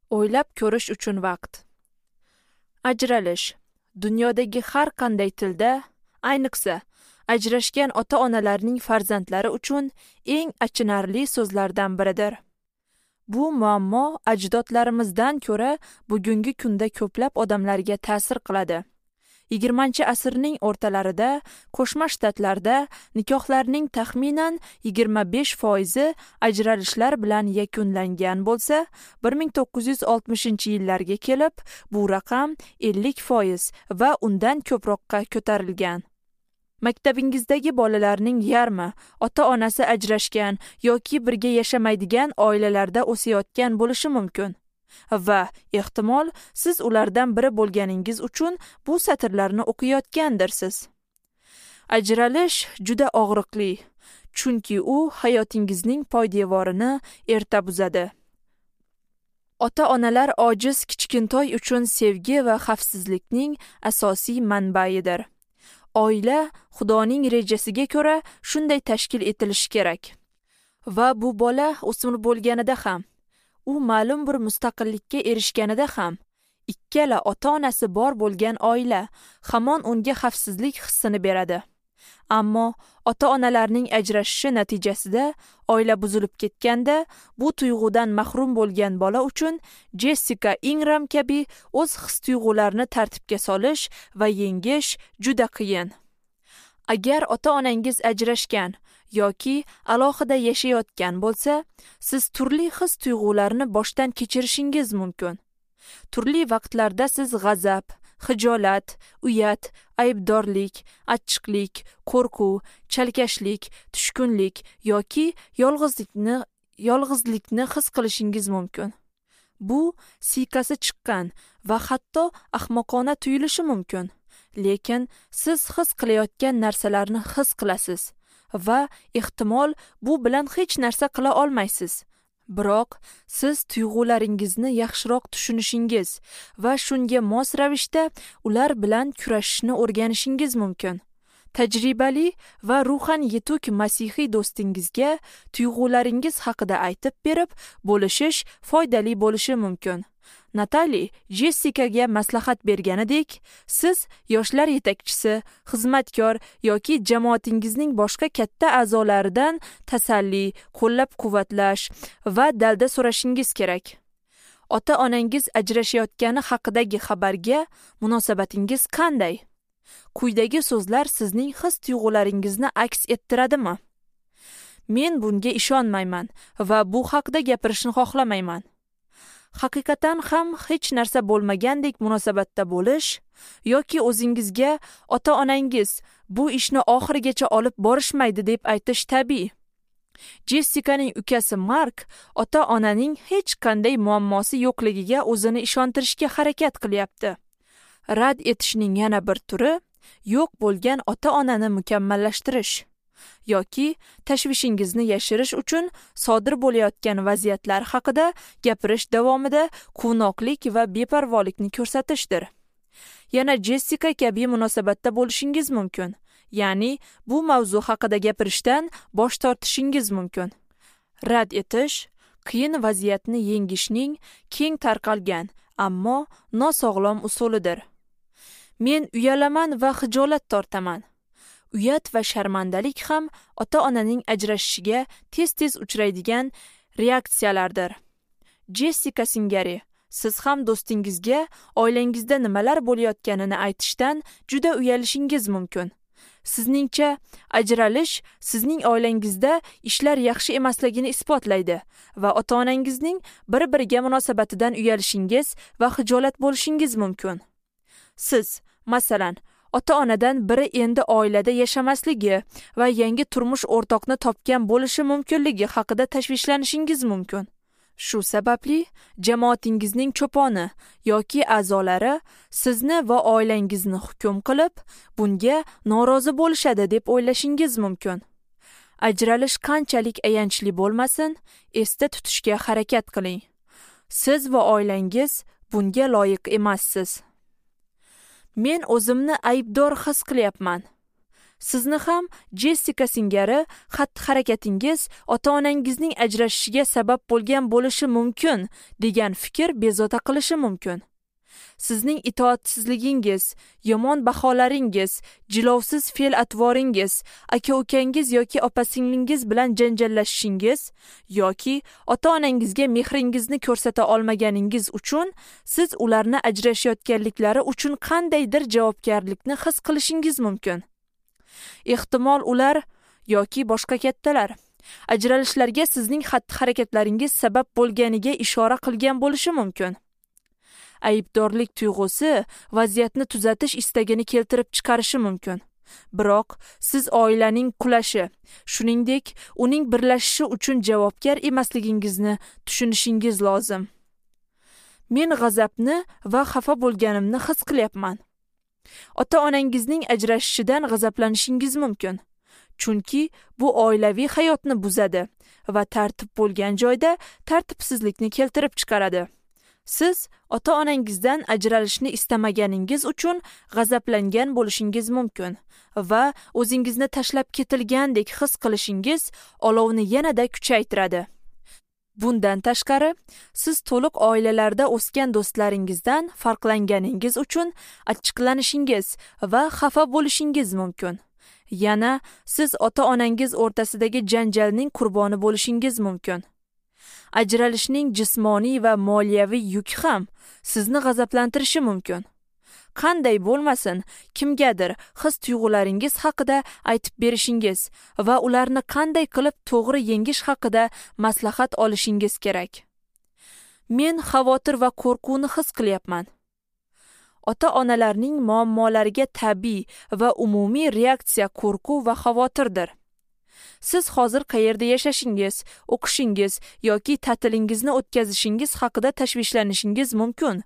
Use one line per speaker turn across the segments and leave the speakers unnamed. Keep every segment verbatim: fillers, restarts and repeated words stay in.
O'ylab ko'rish uchun vaqt. Ajralish dunyodagi har qanday tilda, ayniqsa, ajrashgan ota-onalarning farzandlari uchun eng achinarli so'zlardan biridir. Bu muammo ajdodlarimizdan ko'ra bugungi kunda ko'plab odamlarga ta'sir qiladi. yigirmanchi asrning o'rtalarida Qo'shma Shtatlarda nikohlarning taxminan yigirma besh foizi ajralishlar bilan yakunlangan bo'lsa, bir ming to'qqiz yuz oltmishinchi yillarga kelib bu raqam ellik foiz va undan ko'proqqa ko'tarilgan. Maktabingizdagi bolalarning yarmi ota-onasi ajrashgan yoki birga yashamaydigan oilalarda o'sayotgan bo'lishi mumkin. Va ehtimol siz ulardan biri bo'lganingiz uchun bu satrlarni o'qiyotgandirsiz. Ajralish juda og'riqli, chunki u hayotingizning poydevorini erta buzadi. Ota-onalar ojiz kichkintoy uchun sevgi va xavfsizlikning asosiy manbaidir. Oila Xudoning rejasiga ko'ra shunday tashkil etilishi kerak. Va bu bola o'smir bo'lganida ham, u ma'lum bir mustaqillikka erishganida ham, ikkala ota-onasi bor bo'lgan oila hamon unga xavfsizlik hissini beradi. Ammo ota-onalarning ajrashishi natijasida oila buzilib ketganda, bu tuyg'udan mahrum bo'lgan bola uchun Jessica Ingram kabi o'z his-tuyg'ularini tartibga solish va yengish juda qiyin. Agar ota-onangiz ajrashgan yoki alohida yashayotgan bo'lsa, siz turli his-tuyg'ularni boshdan kechirishingiz mumkin. Turli vaqtlarda siz g'azab, xijolat, uyat, aybdorlik, achchiqlik, qo'rquv, chalkashlik, tushkunlik yoki yolg'izlikni, yolg'izlikni his qilishingiz mumkin. Bu siykasi chiqqan va hatto ahmoqona tuyulishi mumkin. Lekin siz his qilayotgan narsalarni his qilasiz va ehtimol bu bilan hech narsa qila olmaysiz. Biroq siz tuyg'ularingizni yaxshiroq tushunishingiz va shunga mos ravishda ular bilan kurashishni o'rganishingiz mumkin. Tajribali va ruhan yetuk masihiy do'stingizga tuyg'ularingiz haqida aytib berib, bo'lishish foydali bo'lishi mumkin. Natali Jessikaga maslahat berganidek, siz yoshlar yetakchisi, xizmatkor yoki jamoatingizning boshqa katta a'zolaridan tasalli, qo'llab-quvvatlash va dalda so'rashingiz kerak. Ota-onangiz ajrashayotgani haqidagi xabarga munosabatingiz qanday? Quyidagi so'zlar sizning his-tuyg'ularingizni aks ettiradimi? Men bunga ishonmayman va bu haqda gapirishni xohlamayman. Haqiqatan ham hech narsa bo'lmagandek munosabatda bo'lish yoki o'zingizga ota-onangiz bu ishni oxirigacha olib borishmaydi deb aytish tabiiy. Jessikaning ukasi Mark ota-onaning hech qanday muammosi yo'qligiga o'zini ishontirishga harakat qilyapti. Rad etishning yana bir turi yo'q bo'lgan ota-onani mukammallashtirish yoki tashvishingizni yashirish uchun sodir bo'layotgan vaziyatlar haqida gapirish davomida quvnoqlik va beparvolikni ko'rsatishdir. Yana Jessika kabi munosabatda bo'lishingiz mumkin, ya'ni bu mavzu haqida gapirishdan bosh tortishingiz mumkin. Rad etish qiyin vaziyatni yengishning keng tarqalgan, ammo nosog'lom usulidir. Men uyalaman va xijolat tortaman. Uyat va sharmandalik ham ota-onaning ajrashishiga tez-tez uchraydigan reaksiyalardir. Jessika singari, siz ham do'stingizga oilangizda nimalar bo'layotganini aytishdan juda uyalishingiz mumkin. Sizningcha, ajralish sizning oilangizda ishlar yaxshi emasligini isbotlaydi va ota-onangizning bir-biriga munosabatidan uyalishingiz va xijolat bo'lishingiz mumkin. Siz, masalan, ota-onadan biri endi oilada yashamasligi va yangi turmush o'rtoqni topgan bo'lishi mumkinligi haqida tashvishlanishingiz mumkin. Shu sababli jamoatingizning cho'poni yoki a'zolari sizni va oilangizni hukm qilib, bunga norozi bo'lishadi deb o'ylashingiz mumkin. Ajralish qanchalik ayanchli bo'lmasin, esda tutishga harakat qiling. Siz va oilangiz bunga loyiq emassiz. Men o'zimni aybdor his qilyapman. Sizni ham Jessika singari xatti-harakatingiz ota-onangizning ajrashishiga sabab bo'lgan bo'lishi mumkin degan fikr bezovta qilishi mumkin. Sizning itoatsizligingiz, yomon baholaringiz, jilovsiz fe'l-atvoringiz, aka-ukangiz yoki opa-singlingiz bilan janjallashishingiz yoki ota-onangizga mehringizni ko'rsata olmaganingiz uchun siz ularni ajrashayotganliklari uchun qandaydir javobgarlikni his qilishingiz mumkin. Ehtimol ular yoki boshqa kattalar ajralishlarga sizning xatti-harakatlaringiz sabab bo'lganiga ishora qilgan bo'lishi mumkin. Aybdorlik tuyg'usi vaziyatni tuzatish istagini keltirib chiqarishi mumkin. Biroq siz oilaning qulashi, shuningdek, uning birlashishi uchun javobgar emasligingizni tushunishingiz lozim. Men g'azabni va xafa bo'lganimni his qilyapman. Ota-onangizning ajrashishidan g'azablanishingiz mumkin. Chunki bu oilaviy hayotni buzadi va tartib bo'lgan joyda tartibsizlikni keltirib chiqaradi. Siz ota-onangizdan ajralishni istamaganingiz uchun g'azablangan bo'lishingiz mumkin va o'zingizni tashlab ketilgandek his qilishingiz olovni yanada kuchaytiradi. Bundan tashqari, siz to'liq oilalarda o'sgan do'stlaringizdan farqlanganingiz uchun achchiqlanishingiz va xafa bo'lishingiz mumkin. Yana siz ota-onangiz o'rtasidagi janjalning qurboni bo'lishingiz mumkin. Ajralishning jismoniy va moliyaviy yuki ham sizni g'azablantirishi mumkin. Qanday bo'lmasin, kimgadir his-tuyg'ularingiz haqida aytib berishingiz va ularni qanday qilib to'g'ri yengish haqida maslahat olishingiz kerak. Men xavotir va qo'rquvni his qilyapman. Ota-onalarning muammolariga tabiiy va umumiy reaksiya qo'rquv va xavotirdir. Siz hozir qayerda yashashingiz, o'qishingiz yoki ta'tilingizni o'tkazishingiz haqida tashvishlanishingiz mumkin.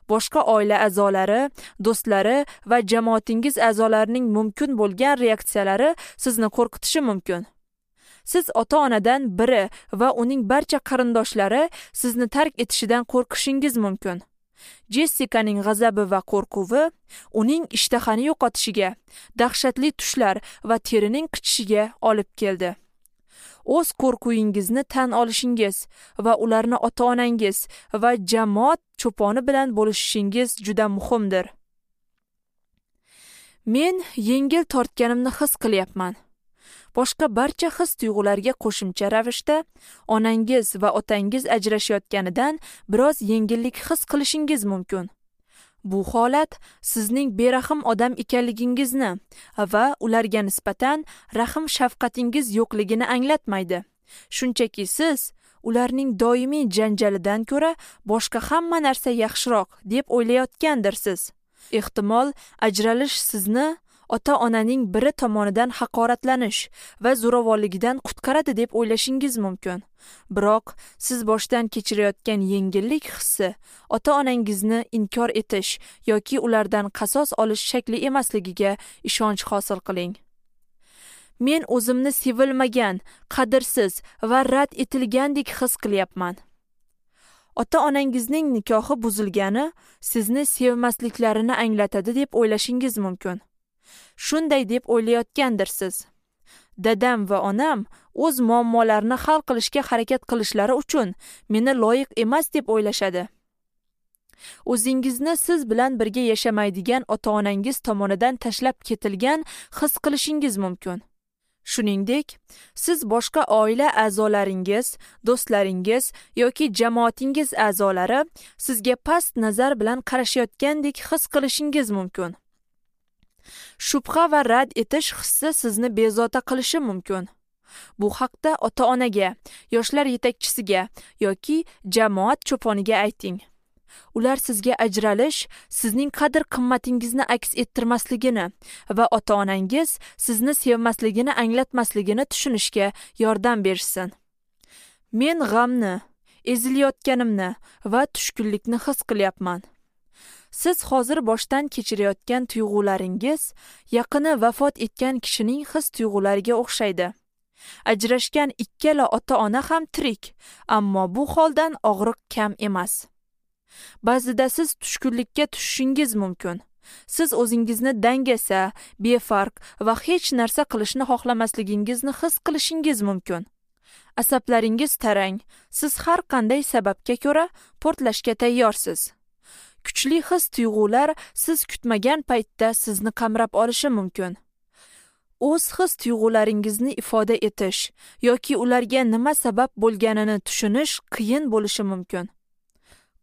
Boshqa oila a'zolari, do'stlari va jamoatingiz a'zolarining mumkin bo'lgan reaksiyalari sizni qo'rqitishi mumkin. Siz ota-onadan biri va uning barcha qarindoshlari sizni tark etishidan qo'rqishingiz mumkin. Jessikaning g'azabi va qo'rquvi uning ishtahani yo'qotishiga, dahshatli tushlar va terining qichishiga olib keldi. O'z qo'rquvingizni tan olishingiz va ularni ota-onangiz va jamoat cho'poni bilan bo'lishishingiz juda muhimdir. Men yengil tortganimni his qilyapman. Boshqa barcha his-tuyg'ularga qo'shimcha ravishda onangiz va otangiz ajrashayotganidan biroz yengillik his qilishingiz mumkin. Bu holat sizning berahm odam ekanligingizni va ularga nisbatan rahm-shafqatingiz yo'qligini anglatmaydi. Shunchaki siz ularning doimiy janjalidan ko'ra boshqa hamma narsa yaxshiroq deb o'ylayotgandirsiz. Ehtimol, ajralish sizni ota-onaning biri tomonidan haqoratlanish va zo'ravonligidan qutqaradi deb o'ylashingiz mumkin. Biroq siz boshdan kechirayotgan yengillik hissi ota-onangizni inkor etish yoki ulardan qasos olish shakli emasligiga ishonch hosil qiling. Men o'zimni sevilmagan, qadrsiz va rad etilgandek his qilyapman. Ota-onangizning nikohi buzilgani sizni sevmasliklarini anglatadi deb o'ylashingiz mumkin. Shunday deb o'ylayotgandirsiz. Dadam va onam o'z muammolarini hal qilishga harakat qilishlari uchun meni loyiq emas deb o'ylashadi. O'zingizni siz bilan birga yashamaydigan ota-onangiz tomonidan tashlab ketilgan his qilishingiz mumkin. Shuningdek, siz boshqa oila a'zolaringiz, do'stlaringiz yoki jamoatingiz a'zolari sizga past nazar bilan qarashayotgandek his qilishingiz mumkin. Shubha va rad etish hissi sizni bezovta qilishi mumkin. Bu haqda ota-onaga, yoshlar yetakchisiga yoki jamoat cho'poniga ayting. Ular sizga ajralish sizning qadr-qimmatingizni aks ettirmasligini va ota-onangiz sizni sevmasligini anglatmasligini tushunishga yordam berishsin. Men g'amni, ezilayotganimni va tushkunlikni his qilyapman. Siz hozir boshdan kechirayotgan tuyg'ularingiz yaqini vafot etgan kishining his-tuyg'ulariga o'xshaydi. Ajrashgan ikkala ota-ona ham tirik, ammo bu holdan og'riq kam emas. Ba'zida siz tushkunlikka tushishingiz mumkin. Siz o'zingizni dangasa, befarq va hech narsa qilishni xohlamasligingizni his qilishingiz mumkin. Asablaringiz tarang, siz har qanday sababga ko'ra portlashga tayyorsiz. Kuchli his tuyg'ular siz kutmagan paytda sizni qamrab olishi mumkin. O'z his tuyg'ularingizni ifoda etish yoki ularga nima sabab bo'lganini tushunish qiyin bo'lishi mumkin.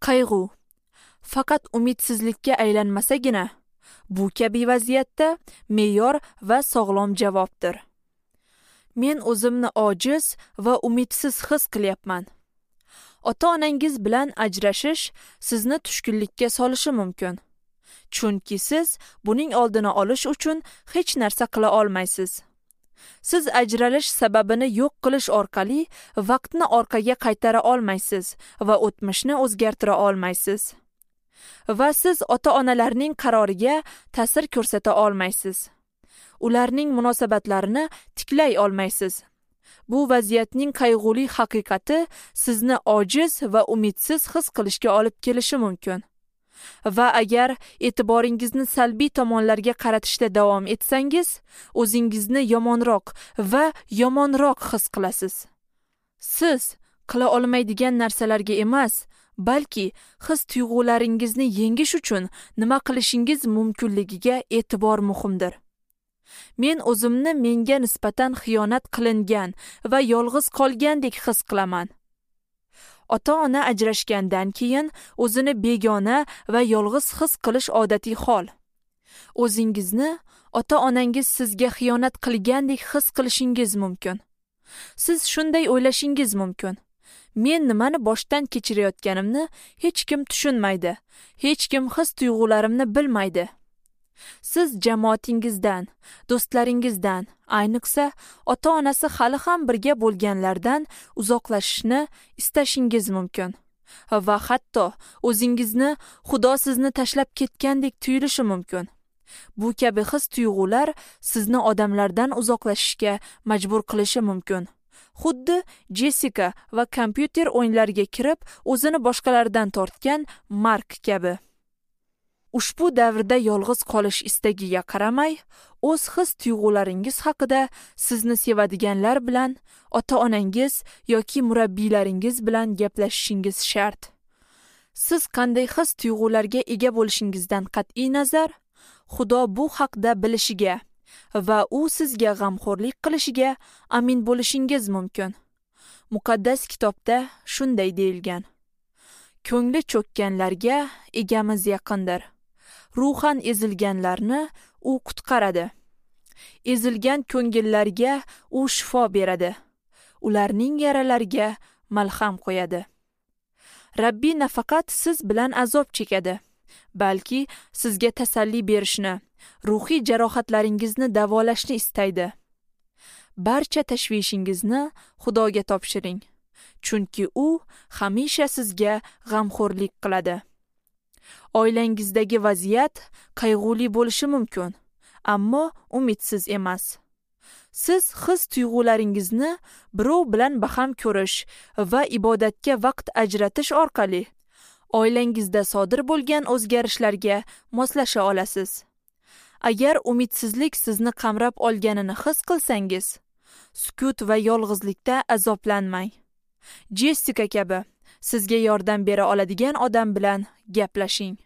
Qayg'u faqat umidsizlikka aylanmasagina, bu kabi vaziyatda me'yor va sog'lom javobdir. Men o'zimni ojiz va umidsiz his qilyapman. Ota-onangiz bilan ajrashish sizni tushkunlikka solishi mumkin. Chunki siz buning oldini olish uchun hech narsa qila olmaysiz. Siz ajralish sababini yo'q qilish orqali vaqtni orqaga qaytara olmaysiz va o'tmishni o'zgartira olmaysiz. Va siz ota-onalarning qaroriga ta'sir ko'rsata olmaysiz. Ularning munosabatlarini tiklay olmaysiz. Bu vaziyatning qayg'uli haqiqati sizni ojiz va umidsiz his qilishga olib kelishi mumkin. Va agar e'tiboringizni salbiy tomonlarga qaratishda davom etsangiz, o'zingizni yomonroq va yomonroq his qilasiz. Siz qila olmaydigan narsalarga emas, balki his tuyg'ularingizni yengish uchun nima qilishingiz mumkinligiga e'tibor muhimdir. Men o'zimni menga nisbatan xiyonat qilingan va yolg'iz qolgandek his qilaman. Ota-ona ajrashgandan keyin o'zini begona va yolg'iz his qilish odatiy hol. O'zingizni ota-onangiz sizga xiyonat qilgandek his qilishingiz mumkin. Siz shunday o'ylashingiz mumkin. Men nimani boshdan kechirayotganimni hech kim tushunmaydi, hech kim his tuyg'ularimni bilmaydi. Siz jamoatingizdan, do'stlaringizdan, ayniqsa ota-onasi hali ham birga bo'lganlardan uzoqlashishni istashingiz mumkin. Va hatto o'zingizni Xudo sizni tashlab ketgandek tuyulishi mumkin. Bu kabi his tuyg'ular sizni odamlardan uzoqlashishga majbur qilishi mumkin. Xuddi Jessica va kompyuter o'yinlariga kirib, o'zini boshqalardan tortgan Mark kabi. Ushbu davrda yolg'iz qolish istagiga qaramay, o'z his tuyg'ularingiz haqida sizni sevadiganlar bilan, ota-onangiz yoki murabbiylaringiz bilan gaplashishingiz shart. Siz qanday his tuyg'ularga ega bo'lishingizdan qat'iy nazar, Xudo bu haqda bilishiga va u sizga g'amxo'rlik qilishiga amin bo'lishingiz mumkin. Muqaddas kitobda shunday deyilgan: Ko'ngli cho'kkanlarga egamiz yaqindir. Ruhan ezilganlarni u qutqaradi. Ezilgan ko'ngillarga u shifo beradi. Ularning yaralariga malham qo'yadi. Rabbiy nafaqat siz bilan azob chekadi, balki sizga tasalli berishni, ruhiy jarohatlaringizni davolashni istaydi. Barcha tashvishingizni Xudoga topshiring, chunki u hamisha sizga g'amxo'rlik qiladi. Oilangizdagi vaziyat qayg'uli bo'lishi mumkin, ammo umidsiz emas. Siz his tuyg'ularingizni birov bilan baham ko'rish va ibodatga vaqt ajratish orqali oilangizda sodir bo'lgan o'zgarishlarga moslasha olasiz. Agar umidsizlik sizni qamrab olganini his qilsangiz, sukut va yolg'izlikda azoblanmang. Jessica kabi sizga yordam bera oladigan odam bilan gaplashing.